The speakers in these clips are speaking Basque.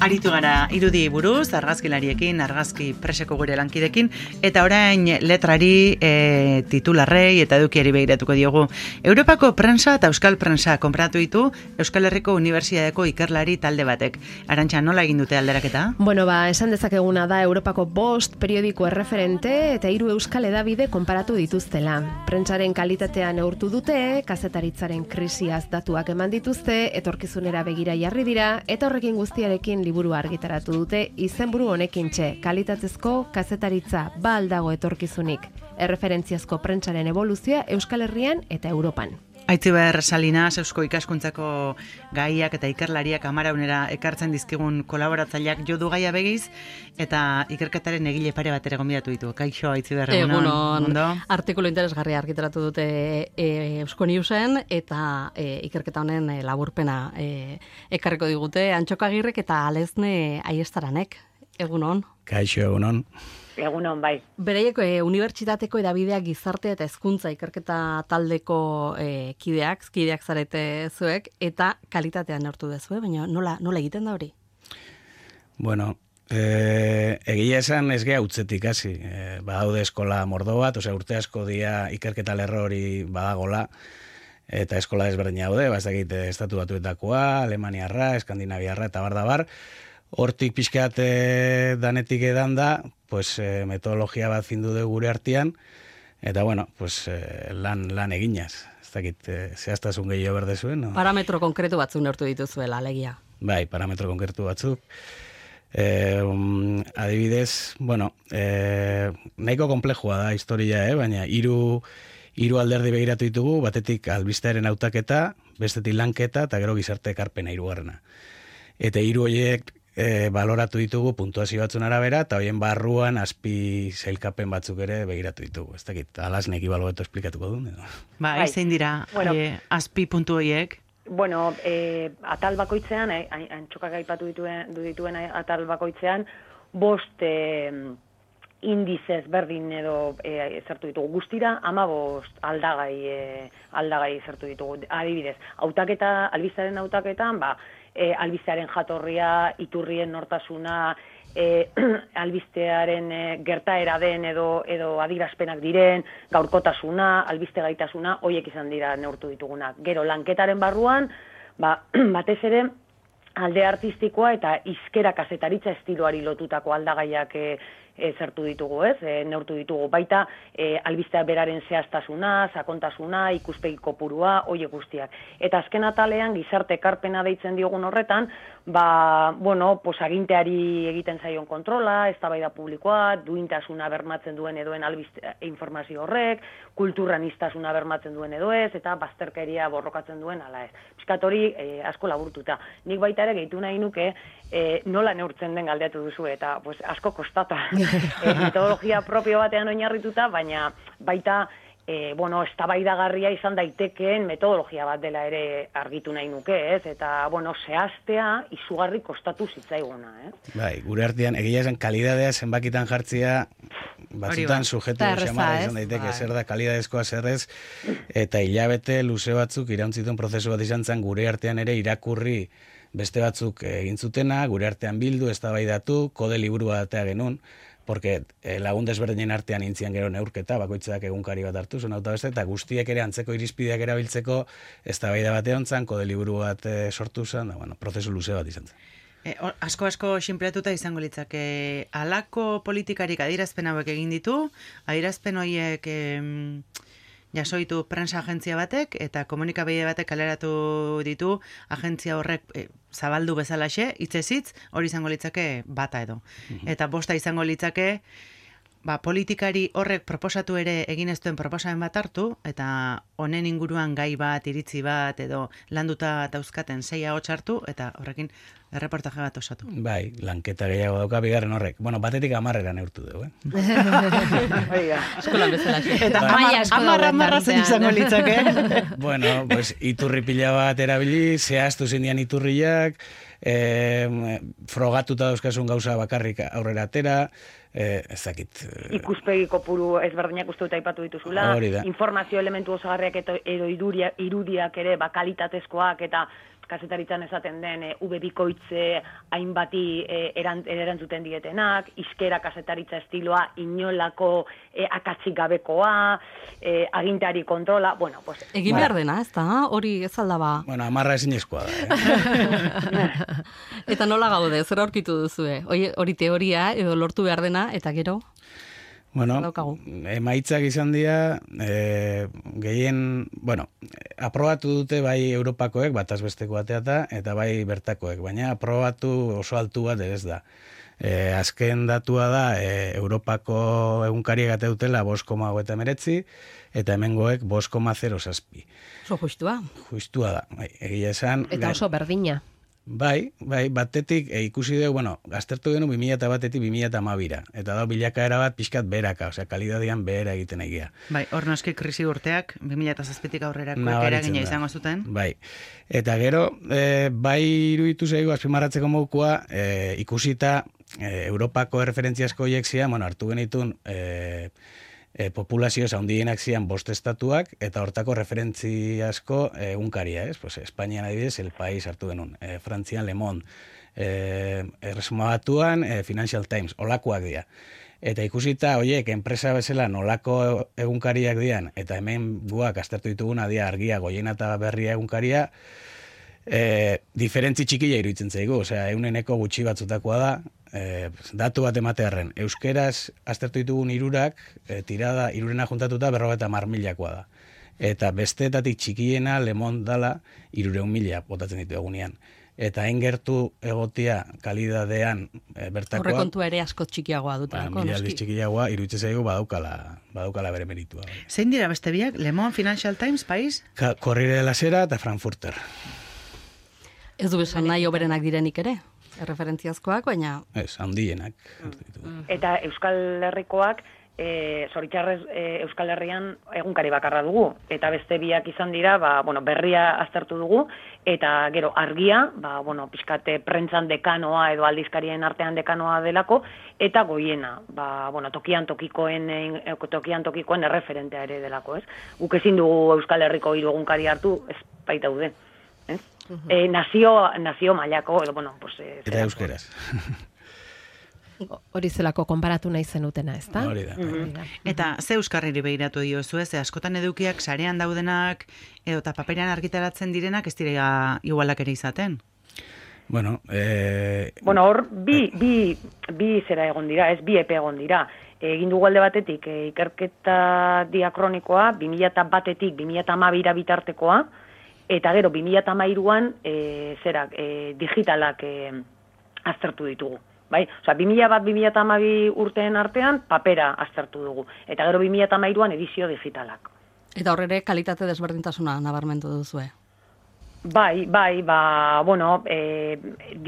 Aritu gara irudi buruz, argazkilariekin, argazki preseko gure lankidekin, eta orain letrari, titularrei eta edukiari begiratuko diogu. Europako prensa eta euskal prensa konpratu ditu Euskal Herriko Unibertsitateko ikerlari talde batek. Arantxa, nola egin dute alderaketa? Bueno, esan dezakeguna da Europako 5 periodiko erreferente eta 3 euskal hedabide konparatu dituztela. Prentsaren kalitatea neurtu dute, kazetaritzaren krisiaz datuak eman dituzte, etorkizunera begira jarri dira, eta horrekin guztiarekin liburua argitaratu dute izenburu honekin kalitatezko kazetaritza ba aldago etorkizunik. Erreferentziazko prentsaren evoluzioa Euskal Herrian eta Europan. Aitziber Salinas, Eusko Ikaskuntzako gaiak eta ikerlariak Amaraunera ekartzen dizkigun kolaboratzaileak jodu gaia begiz, eta ikerketaren egile pare bat ere gonbidatu ditu. Kaixo, Aitziber, egunon. Artikulu interesgarria argitaratu dute Eusko Newsen, eta ikerketa honen laburpena ekarriko digute Antxoko Agirrek eta Alezne Aiestaranek. Egunon. Kaixo, egunon. Egunon, bai. Bereiek unibertsitateko edabideak gizarte eta hezkuntza ikerketa taldeko kideak zarete zuek, eta kalitatean neurtu dezue, baina nola egiten da hori? Bueno, egia esan ez geha utzetik hasi. Badaude eskola mordo bat, urte asko dia ikerketa lerro hori badagola, eta eskola desberdina daude, ez dakit estatu batuetakoa, Alemaniarra, Eskandinaviarra eta bar. Hortik pixkat danetik edan da, metodologia bat findu dugu gure artean, eta lan eginaz. Ez dakit, zehaztasun gehiago berde zuen. No? Parametro konkretu batzuk neurtu dituzuela, alegia. Bai, parametro konkretu batzuk. Adibidez, nahiko komplejua da historia, baina hiru alderdi begiratu ditugu, batetik albistearen hautaketa, bestetik lanketa, eta gero gizarte ekarpena hirugarrena. Eta hiru horiek baloratu ditugu puntuazio batzun arabera, eta horien barruan azpi zailkapen batzuk ere begiratu ditugu. Ez dakit, Alasnek ibaloeto esplikatuko du. Bai, zein dira azpi puntu horiek? Bueno, atal bakoitzean, Antxokak aipatu dituen atal bakoitzean, 5 indizez berdin edo zertu ditugu. Guztira 15 aldagai zertu ditugu. Adibidez, albizaren hautaketan, albistearen jatorria, iturrien nortasuna, albistearen gertaera den edo adirazpenak diren, gaurkotasuna, albiste gaitasuna, horiek izan dira neurtu ditugunak. Gero, lanketaren barruan, batez ere, alde artistikoa eta hizkera kazetaritza estiloari lotutako aldagaiak zertu ditugu, neurtu ditugu. Baita, albistea beraren zehaztasuna, sakontasuna, ikuspegi kopurua, horiek guztiak. Eta azken atalean, gizarte ekarpena deitzen diogun horretan, aginteari egiten zaion kontrola, eztabaida publikoa, duintasuna bermatzen duen edoen albiste informazio horrek, kulturraniztasuna bermatzen duen edo ez, eta bazterkeria borrokatzen duen ala ez. Piskat hori asko laburtuta. Nik baita ere gehitu nahi nuke, nola neurtzen den galdeatu duzu, eta asko kostata. Metodologia propio batean oinarrituta, baina baita eztabaidagarria izan daitekeen metodologia bat dela ere argitu nahi nuke, eta zehaztea izugarri kostatu zitzaiguna, Bai, gure artean egia esan kalidadea zenbakitan jartzia batzutan sujetu xamara izan daiteke, zer da kalidadezkoa zerrez, eta hilabete luze batzuk irauntzituen prozesu bat izan zen gure artean ere irakurri beste batzuk egin zutena, gure artean bildu, eztabaidatu, kode liburu batea genuen, porque lagun desberdinen artean intzian gero neurketa, bakoitzak egunkari bat hartu, eta guztiek ere antzeko irizpideak erabiltzeko eztabaida batean zan, kode liburu bat sortu zen, prozesu luze bat izan zen. Asko sinpleatuta izango litzake, halako politikarik adierazpen hauek egin ditu, adierazpen horiek jasoitu prensa agentzia batek, eta komunikabide batek kaleratu ditu agentzia horrek zabaldu bezalaxe, hitzez, hori izango litzake bata edo. Eta bosta izango litzake, politikari horrek proposatu ere egin ez duen proposamen bat hartu, eta honen inguruan gai bat, iritzi bat, edo landuta dauzkaten 6 ahots hartu, eta horrekin erreportaje bat osatu. Bai, lanketa gehiago dauka bigarren horrek. Batetik 10 neurtu dugu, Eskolan bezala. Eta 10 zen izango litzake. Iturri pila bat erabili, zehaztu zindian iturriak, frogatuta dauzkasun gauza bakarrik aurrera atera, ez dakit. Ikuspegi kopuru ezberdinak uste dut aipatu dituzula, informazio elementu osagarriak edo irudiak ere kalitatezkoak eta kazetaritzan esaten den V-bikoitze hainbati erantzuten dietenak, iskera kazetaritza estiloa inolako akatsik gabekoa, agintari kontrola, bueno, pues... Egin behar dena, ez da? Hori ez aldaba... Bueno, amarra ezinezkoa da, Eta nola gaude, zer aurkitu duzue? Hori teoria edo lortu behar dena, eta gero? Bueno, emaitzak izan dira, aprobatu dute bai Europakoek, bataz besteko bateata, eta bai bertakoek, baina aprobatu oso altu bat ez da. Azken datua da, Europako egunkariak ate dutela 5,9, eta hemengoek 5,07. Oso justua. Justua da, egia esan. Eta oso berdina. Bai, batetik ikusi dugu, aztertu genu 2001-etik 2012-ra, eta da bilakaera bat pixkat beraka, osea, kalidadian behera egiten egia. Bai, hor noski krisi urteak, 2007-tik aurrerako eragina izango zuten. Bai, eta gero, bai iruditu zaigu, azpimarratzeko modukoa, ikusita Europako erreferentziazko horiek zian, hartu genitun, populazio handienak zian 5 estatuak, eta hortako referentziazko egunkaria, pues, Espainian adibidez, El País hartu genuen, Frantzian Le Monde, Erresuma Batuan, Financial Times, olakoak dira. Eta ikusita, horiek, enpresa bezala nolako egunkariak dian, eta hemen guak aztertu dituguna dira Argia, Goiena eta Berria egunkaria, diferentzi txikia iruditzen zaigu, osea, 100-eko gutxi batzutakoa da, datu bat ematearren. Euskeraz aztertu ditugun 3ak, tirada 3rena juntatuta 50.000-koa da. Eta besteetatik txikiena Le Monde dala 300.000 botatzen ditu egunean. Eta hain gertu egotia kalidadean bertakoa... Horrekontua ere asko txikiagoa dutelako, noski. 1000 aldiz txikiagoa, iruditzen zaigu badaukala bere meritua. Zein dira beste biak? Le Monde, Financial Times, País? Corriere de la Sera eta Frankfurter. Ez du esan nahi oberenak direnik ere? Erreferentziazkoak, baina... Ez, handienak. Eta Euskal Herrikoak, zoritxarrez Euskal Herrian egunkari bakarra dugu. Eta beste biak izan dira, Berria aztertu dugu, eta gero Argia, pixkate prentzan dekanoa edo aldizkarien artean dekanoa delako, eta Goiena, tokian tokikoen erreferentea ere delako, ez? Guk ezin dugu Euskal Herriko 3 egunkari hartu, ez baita daude, ez? Nazio mailako, eta euskeraz. Hori zelako konparatu nahi zenutena, ez da? Hori da. Eta ze euskarriri behiratu diozu, ez? Askotan edukiak sarean daudenak, edo eta paperean argitaratzen direnak ez dira igualak ere izaten. Hor, bi zera egon dira, ez bi epe egon dira. Egin dugu alde batetik, ikerketa diakronikoa, 2001-etik 2012-ra bitartekoa, eta gero 2013an digitalak aztertu ditugu. Bai? Osea, 2001-2012 urteen artean papera aztertu dugu. Eta gero 2013an edizio digitalak. Eta horrere kalitate desberdintasuna nabarmentu duzue. Bai,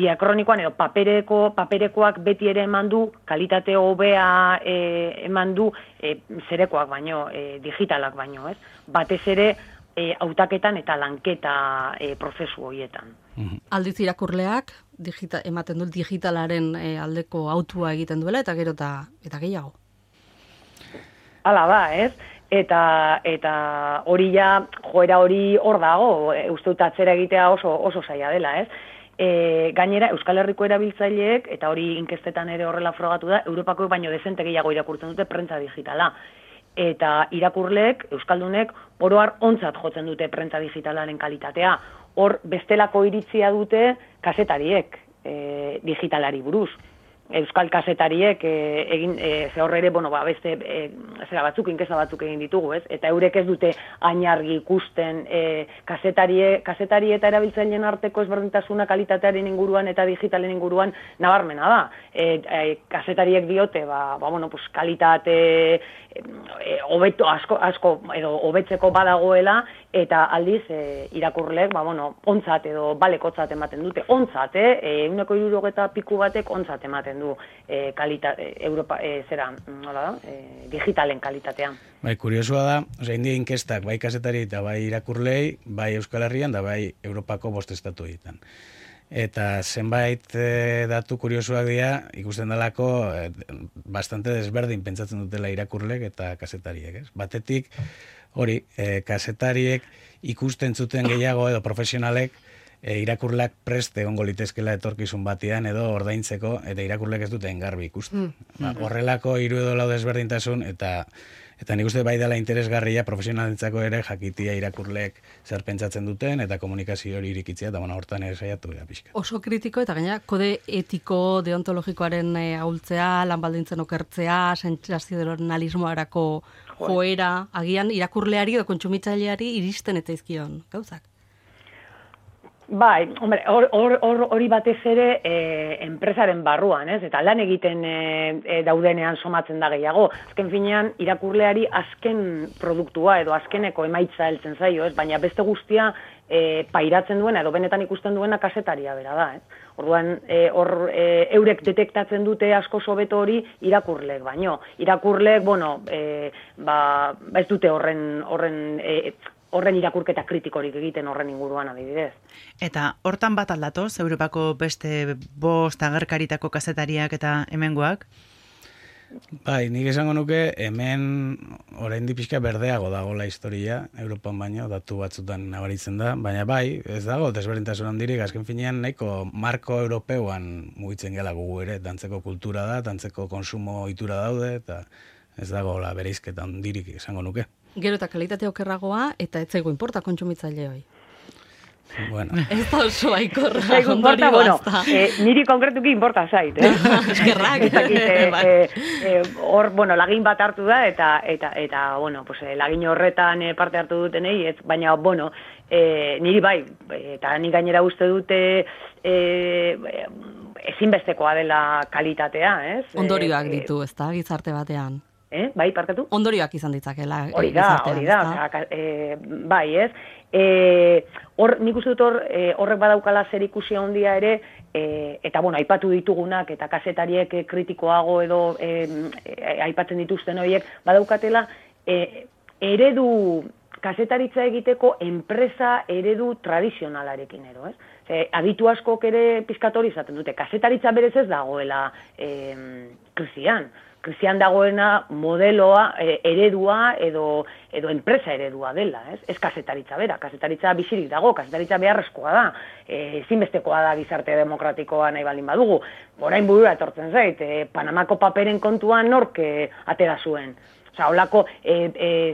diakronikoan edo paperekoak beti ere eman du, kalitate hobea eman du zerekoak baino, digitalak baino, ez? Batez ere, hautaketan eta lanketa prozesu horietan. Aldiz irakurleak ematen du digitalaren aldeko autua egiten duela eta gero eta gehiago. Hala da, ez? Eta hori joera hori hor dago, uste dut atzera egitea oso zaila dela, ez? Gainera, Euskal Herriko erabiltzaileek, eta hori inkestetan ere horrela frogatu da, Europakoek baino dezente gehiago irakurtzen dute prentza digitala. Eta irakurleek, euskaldunek, oroar ontzat jotzen dute prentza digitalaren kalitatea. Hor, bestelako iritzia dute kazetariek digitalari buruz. Euskal kazetariek ze horre ere, beste inkesta batzuk egin ditugu, ez? Eta eurek ez dute ainargi ikusten kazetari eta erabiltzaileen arteko ezberdintasuna kalitatearen inguruan eta digitalen inguruan nabarmena da. Kazetariek diote, kalitate hobeto asko edo hobetzeko badagoela, eta aldiz irakurleek, ontzat edo balekotzat ematen dute. Ontzat, 160 piku batek ontzat ematen du digitalen kalitatean. Bai, kuriosua da, india inkestak, bai kazetari eta bai irakurlei, bai Euskal Herrian da bai Europako 5 estatu egiten. Eta zenbait datu kuriosuak dira, ikusten dalako bastante desberdin pentsatzen dutela irakurlek eta kazetariek, ez? Batetik, hori, kazetariek ikusten zuten gehiago edo profesionalek irakurleak prest egongo litezkela etorkizun batean edo ordaintzeko, eta irakurleak ez dute engarbi ikusten. Horrelako 3 edo 4 desberdintasun, eta nik uste bai dela interesgarria profesionalentzako ere jakitia irakurleek zer pentsatzen duten, eta komunikazio hori irikitzea, eta hortan ere saiatu da pixka. Oso kritiko, eta gaina, kode etiko deontologikoaren ahultzea, lan baldintzen okertzea, sentsazionalismoarako joera, agian irakurleari edo kontsumitzaileari iristen eta izkion, gauzak. Bai, hombre, hori batez ere enpresaren barruan, ez? Eta lan egiten daudenean somatzen da gehiago. Azken finean, irakurleari azken produktua edo azkeneko emaitza heltzen zaio, ez? Baina beste guztia pairatzen duena edo benetan ikusten duena kasetaria bera da, ez? Orduan, eurek detektatzen dute asko hobeto hori irakurleek, baino. Irakurleek, bueno, ez dute horren irakurketa kritikorik egiten horren inguruan adibidez. Eta hortan bat aldatoz, Europako beste 5 agerkaritako kazetariak eta hemengoak? Bai, nik esango nuke hemen oraindik pixka berdeago dagoela historia, Europan baino, datu batzutan nabaritzen da, baina bai, ez dago desberdintasun handirik, azken finean nahiko marko europeuan mugitzen gela gugu ere, dantzeko kultura da, dantzeko konsumo ohitura daude, eta ez dago bereizketa handirik esango nuke. Gero eta kalitate okerragoa, eta ez zaigu inporta kontsumitzaileoi. Bueno. Ez da oso aikorra. Zaigu inporta, bueno, niri konkretuki inporta zait, Eskerrak. Hor, bueno, lagin bat hartu da, eta bueno, pues, lagin horretan parte hartu dutenei, baina, bueno, niri bai, eta ni gainera uste dute ezinbestekoa dela kalitatea, ez? Ondorioak ditu, ez da, gizarte batean. Bai, parkatu? Ondorioak izan ditzakela. Hori da, bai, ez? Nik uste dut horrek badaukala zer ikusi handia ere, eta, bueno, aipatu ditugunak, eta kazetariek kritikoago edo aipatzen dituzten horiek, badaukatela, eredu, kazetaritza egiteko enpresa eredu tradizionalarekin ero, ez? Aditu askok ere pizkatori izaten dute, kazetaritza berez ez dagoela krisian dagoena modeloa, eredua edo enpresa eredua dela, ez? Ez kazetaritza bera, kazetaritza bizirik dago, kazetaritza beharrezkoa da, ezinbestekoa da gizarte demokratikoa nahi baldin badugu. Orain burura etortzen zait, Panamako paperen kontuan nork atera zuen. Osa, holako,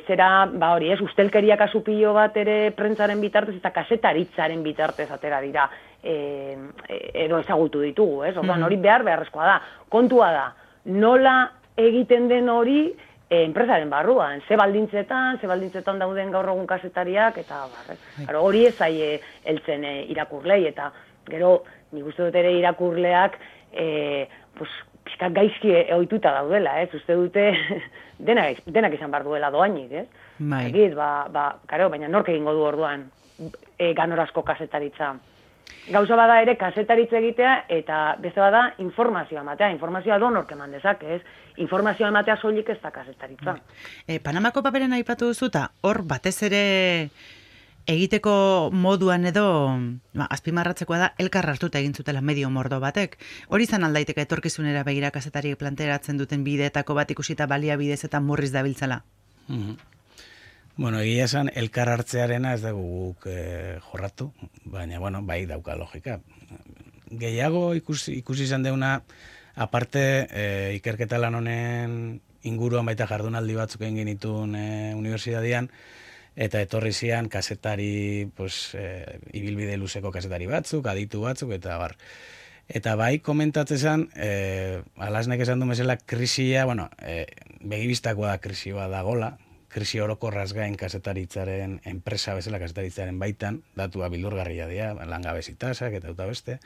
zera, hori, ez, ustelkeria kasu pilo bat ere prentzaren bitartez eta kazetaritzaren bitartez atera dira edo ezagutu ditugu, ez? Orduan, hori beharrezkoa da. Kontua da, nola egiten den hori enpresaren barruan, ze baldintzetan dauden gaur egun kazetariak, eta hori ez zaie heltzen irakurlei, eta gero, nik uste dut ere irakurleak, pixkat gaizki ohituta daudela, ez? Uste dute denak izan behar duela doainik, ez? Egit, baina nork egingo du orduan ganorazko kazetaritza. Gauza bada ere kazetaritza egitea eta beste bada informazioa ematea. Informazioa donork eman dezake, ez? Informazioa ematea soilik ez da kazetaritza. Panamako paperen aipatu duzu eta hor batez ere egiteko moduan edo azpimarratzekoa da elkar hartuta egin zutela medio mordo batek. Hori izan aldaiteke etorkizunera begira kazetariek planteratzen duten bideetako bat ikusita baliabidez eta murriz dabiltzela. Bueno, egia esan, elkar hartzearena ez dugu guk jorratu, baina, bueno, bai dauka logika. Gehiago ikusi izan deuna, aparte ikerketa lan honen inguruan baita jardunaldi batzuk egin genituen unibertsitatean, eta etorri zian kazetari, ibilbide luzeko kazetari batzuk, aditu batzuk, eta bar. Eta bai, komentatzen zen, Alasnek esan du mesela, krisia, bueno, begibistakoa da krisi bat dagola, krisi orokorraz gain kazetaritzaren enpresa bezala kazetaritzaren baitan, datua bildurgarria dira, langabezi tasak eta beste.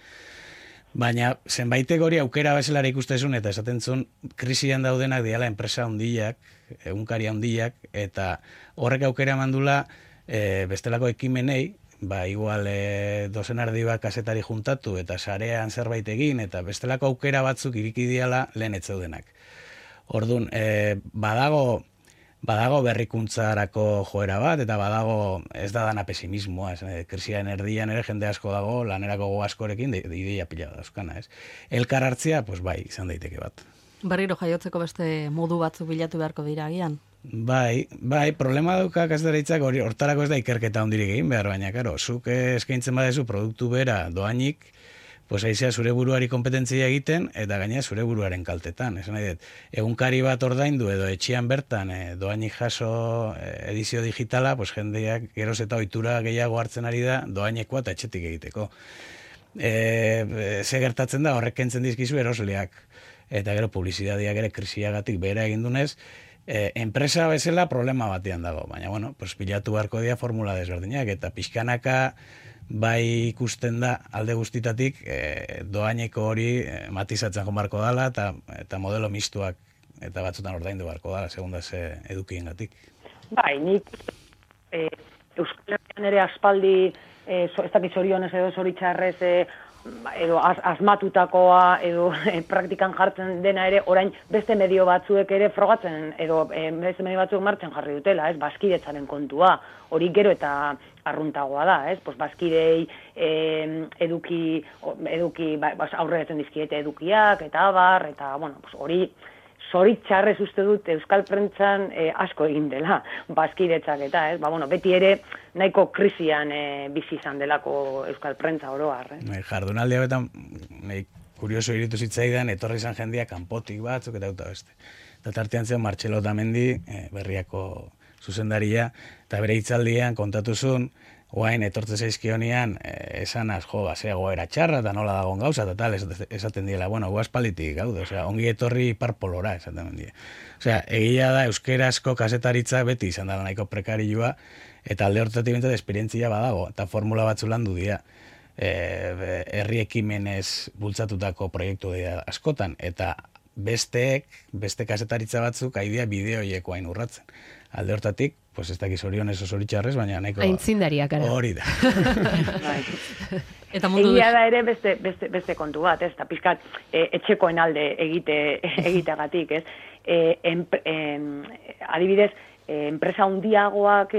Baina zenbaitek hori aukera bezelara ikustezun eta esaten zuen krisian daudenak diala enpresa handiak, egunkari handiak, eta horrek aukera mandula bestelako ekimenei, igual dozenardi bat kazetari juntatu eta sarean zerbait egin, eta bestelako aukera batzuk iriki diala lehen etzeudenak. Orduan, badago berrikuntzarako joera bat, eta badago ez da dana pesimismoa, krisian erdian ere jende asko dago, lanerako go askorekin, ideia pila dauzkana, ez? Elkar hartzea, bai, izan daiteke bat. Berriro jaiotzeko beste modu batzu bilatu beharko dira agian? Bai, problema dauka kazetaritzak hortarako ez da ikerketa hondirik egin behar, baina, karo, zuk eskaintzen badezu produktu bera doainik, pues aizea zure buruari kompetentzia egiten, eta gaina zure buruaren kaltetan. Esan nahi dut, egunkari bat ordaindu edo etxean bertan doainik jaso edizio digitala, pues jendeak geroz eta ohitura gehiago hartzen ari da doainekoa eta etxetik egiteko. Ze gertatzen da, horrek kentzen dizkizu erosleak, eta gero publizitateak ere krisiagatik behera egin dunez, enpresa bezala problema batean dago, baina, bueno, pues bilatu beharko dira formula desberdinak, eta pixkanaka bai ikusten da alde guztitatik doaineko hori matizatzen joan barko dala, eta modelo mistuak eta batzutan ordaindu barko dala, segunda ze edukiengatik. Bai, nik Euskal Herrian ere aspaldi ez dakit zorionez edo zoritxarrez edo asmatutakoa edo praktikan jartzen dena ere orain beste medio batzuek ere frogatzen edo beste medio batzuek martxan jarri dutela, ez, bazkidetzaren kontua, hori gero eta arruntagoa da, ez, pues bazkidei eduki aurregatzen dizkiete edukiak eta abar, eta bueno, pues hori zoritxarrez uste dut Euskal Prentsan asko egin dela, bazkidetzak eta, ez? Bueno, beti ere nahiko krisian bizi izan delako Euskal Prentsa oro har, Jardunaldi hauetan, kurioso iritu zitzaidan, etorri izan jendia kanpotik batzuk eta beste. Eta tartean zen Martxelo Otamendi, Berriako zuzendaria, eta bere hitzaldian kontatuzun, guain etortze zaizkionian, esanaz, zea goera txarra, eta nola dagoen gauza, eta tal, esaten diela, bueno, guaz palitik gaude, ongi etorri parpolora, esaten die. Egia da, euskerazko kasetaritza beti izan dela nahiko prekarioa, eta alde horretatik bintzat esperientzia badago, eta formula batzu landu dira, herri ekimenez bultzatutako proiektu dira askotan, eta beste kasetaritza batzuk aidea bideoieko hain urratzen. Alde hortatik, pues ez dakiz orionez oso zoritxarrez, baina nahiko... Aintzindariak, ara. Hori da. Egia da ere beste kontu bat, ez? Eta pizkat etxekoen alde egiteagatik, ez? Adibidez, enpresa handiagoak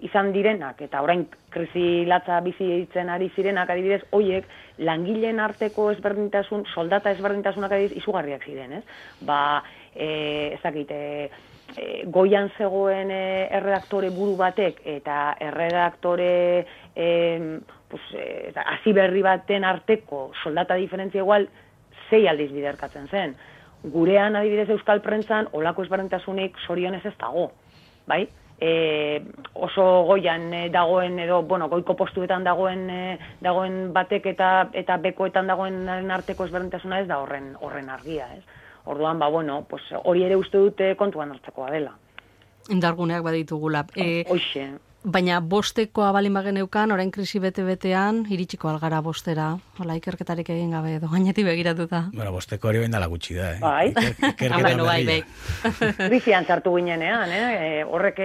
izan direnak, eta orain krisi latza bizi ditzen ari zirenak, adibidez, hoiek langileen arteko ezberdintasun, soldata ezberdintasunak adibidez, izugarriak ziren, ez? Ez dakite... goian zegoen erredaktore buru batek eta erredaktore hasi berri baten arteko soldata diferentzia igual 6 aldiz biderkatzen zen. Gurean adibidez Euskal Prentsan olako ezberdintasunik zorionez ez dago, bai? Oso goian dagoen edo, goiko postuetan dagoen batek eta bekoetan dagoen arteko ezberdintasuna ez da horren argia, ez? Orduan, pues hori ere uste dute kontuan hartzekoa dela. Indarguneak baditugula. Hoxe. Baina bostekoa balin bageneukan, orain krisi bete-betean, iritsiko algara bostera, hola ikerketarik egin gabe, edo gainetik begiratuta. Bueno, bosteko hori bain dala gutxi da, Bai. Bai. Krisian sartu ginenean, horrek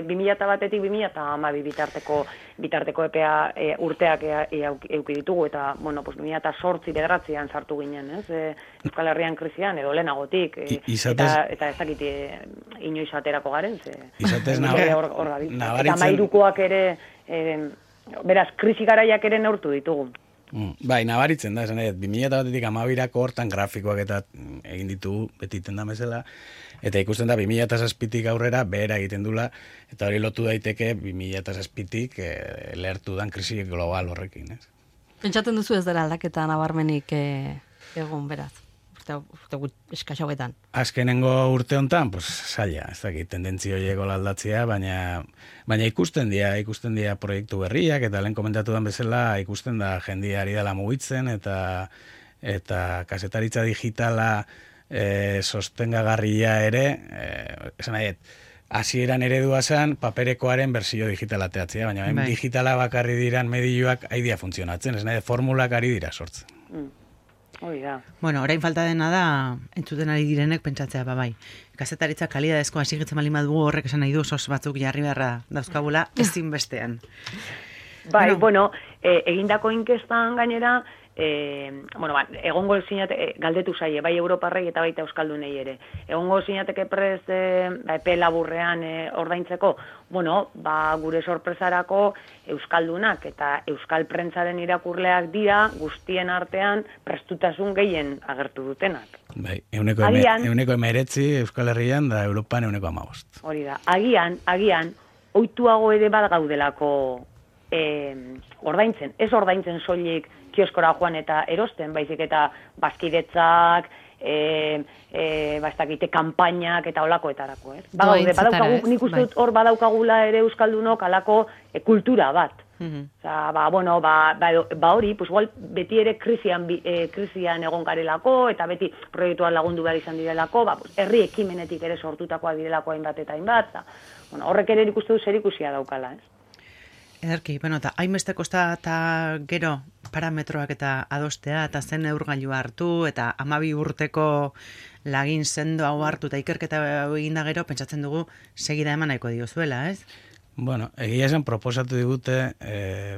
2001-etik 2012 bitarteko epea urteak euki ditugu, eta, pues 2008-2009 sartu ginen, Euskal Herrian krisian, edo lehenagotik, eta ez dakit inoiz aterako garen, izatez Irukoak ere, beraz, krisi garaiak ere neurtu ditugu. Bai, nabaritzen da, esan edo, 2001-etik 2012ko hortan grafikoak eta egin ditugu, beti iten da bezala, eta ikusten da 2007-tik aurrera behera egiten dula, eta hori lotu daiteke 2007-tik lehertu dan krisi global horrekin, ez? Pentsatzen duzu ez dela aldaketa nabarmenik egun, beraz? Urte eskasauetan. Azkenengo urte hontan, pues zaila, ez dakit, tendentzio horieko aldatzea, baina ikusten dira proiektu berriak, eta lehen komentatu den bezala, ikusten da jendiari dela mugitzen, eta kasetaritza digitala sostengagarria ere, esan nahi, hasieran eredua zen paperekoaren bersio digitala teatzea, baina digitala bakarri diran medioak aidea funtzionatzen, esan nahi, formulak ari dira sortzen. Bueno, orain falta dena da, entzuten ari direnek pentsatzea, bai. Kazetaritza kalidadezko hasigitzen bali madugu horrek esan nahi du sos batzuk jarri beharra dauzkagula ezinbestean. Bai, egindako inkestan gainera, egongo zinateke, galdetu zaie, bai Europarrei eta baita Euskaldunei ere, egongo zinateke prest epe laburrean ordaintzeko, gure sorpresarako Euskaldunak eta Euskal prentsaren irakurleak dira guztien artean prestutasun gehien agertu dutenak. Bai, 19 Euskal Herrian da Europan 15. Hori da, agian, ohituago ere bat gaudelako ordaintzen. Ez ordaintzen soilik kioskora joan eta erosten, baizik eta bazkidetzak, kanpainak eta olakoetarako, ez? Badaukagu, nik uste dut hor badaukagula ere Euskaldunok alako kultura bat. Hori, igual beti ere krisian egon garelako, eta beti proiektuan lagundu behar izan direlako, herri ekimenetik ere sortutakoa direlako hainbat eta hainbat, horrek ere ikustu du zerikusia daukala, ez? Ederki, eta hainbeste kosta eta gero parametroak eta adostea, eta zen neurgailua hartu, eta 12 urteko lagin sendo hau hartu, eta ikerketa eginda gero, pentsatzen dugu segida eman nahiko diozuela, ez? Bueno, egia esan proposatu digute,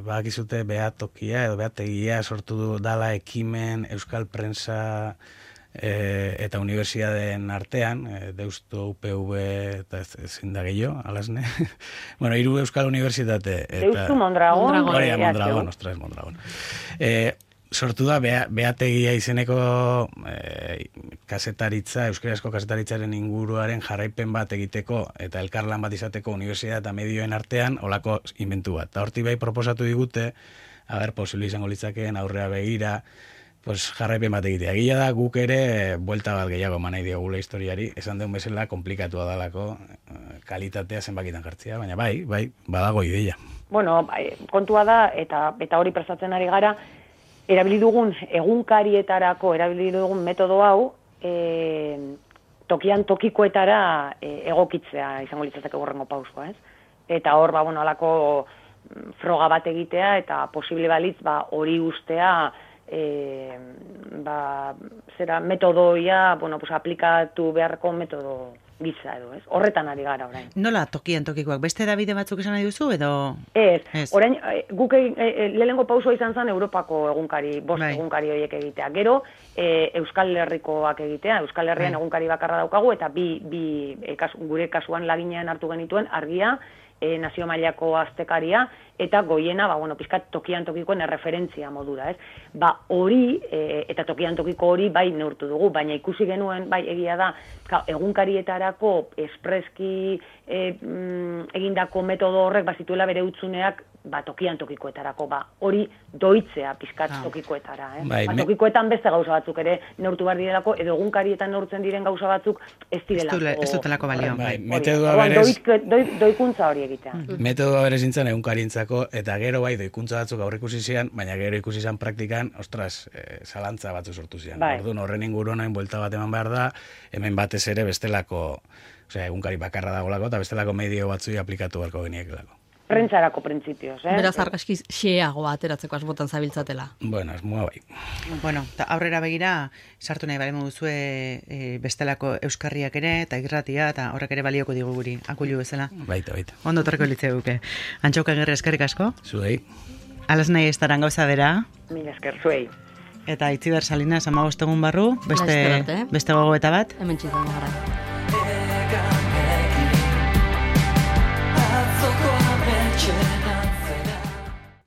badakizute behatokia edo behategia sortu du dala ekimen Euskal Prensa eta unibertsiadeen artean, Deusto, UPV eta ezin da gehiago, alasne. 3 Euskal Unibertsitate. Deusto Mondragon. Mondragon, ostras, Mondragon. Sortu da, behategia izeneko kasetaritza, euskarazko kasetaritzaren inguruaren jarraipen bat egiteko eta elkarlan bat izateko unibertsitate eta medioen artean olako inventu bat. Eta horti bai proposatu digute, posible izango litzakeen aurrea begira, jarraipen bat egitea. Egia da guk ere buelta bat gehiago manai diogula historiari, esan deun bezala komplikatua dalako kalitatea zenbakitan jartzea, baina bai, badago ideia. Kontua da, eta hori prestatzen ari gara, erabili dugun egunkarietarako erabili dugun metodo hau tokian tokikoetara egokitzea izango litzateke hurrengo pausoa, ez? Eta hor alako froga bat egitea eta posible balitz hori ustea metodoia, aplikatu beharko metodo gitza edo, ez? Horretan ari gara orain. Nola tokian tokikoak? Beste edabide batzuk esan nahi duzu edo? Ez. Orain, guk lehenengo pausoa izan zen Europako egunkari, 5 egunkari horiek egitea. Gero, Euskal Herrikoak egitea. Euskal Herrian egunkari bakarra daukagu, eta gure kasuan laginean hartu genituen Argia, nazio mailako astekaria, eta Goiena, pizkat tokian tokikoen erreferentzia modura, ez? Hori, eta tokian tokiko hori bai neurtu dugu, baina ikusi genuen, egia da, egunkarietarako espreski egindako metodo horrek bazituela bere utzuneak tokian tokikoetarako, hori doitzea pizkat tokikoetara, tokikoetan beste gauza batzuk ere neurtu behar direlako, edo egunkarietan neurtzen diren gauza batzuk ez direlako. Ez dutelako balio. Doikuntza hori egitea. Metodoa berez nintzen egunkarientzako, eta gero doikuntza batzuk aurrikusi zian, baina gero ikusi zian praktikan, zalantza batzu sortu zian. Orduan horren inguruan buelta bat eman behar da, hemen batez ere bestelako, egunkari bakarra dagolako, eta bestelako medio batzui aplikatu beharko geniekelako. Prentsarako printzipioz, Beraz, argazki xeagoa ateratzeko asbotan zabiltzatela. Ez mua bai. Aurrera begira, sartu nahi balemo duzue bestelako euskarriak ere, eta irratia, eta horrek ere balioko digu guri, akulu bezala. Baita. Ondo torreko litzea duke. Antxauka Agirre, eskerrik asko. Zuei. Alas nahi estaran gauza bera. Mila esker, zuei. Eta Itziber Salinas 15 egun barru, beste gogoeta bat. Hemen txitzen gara.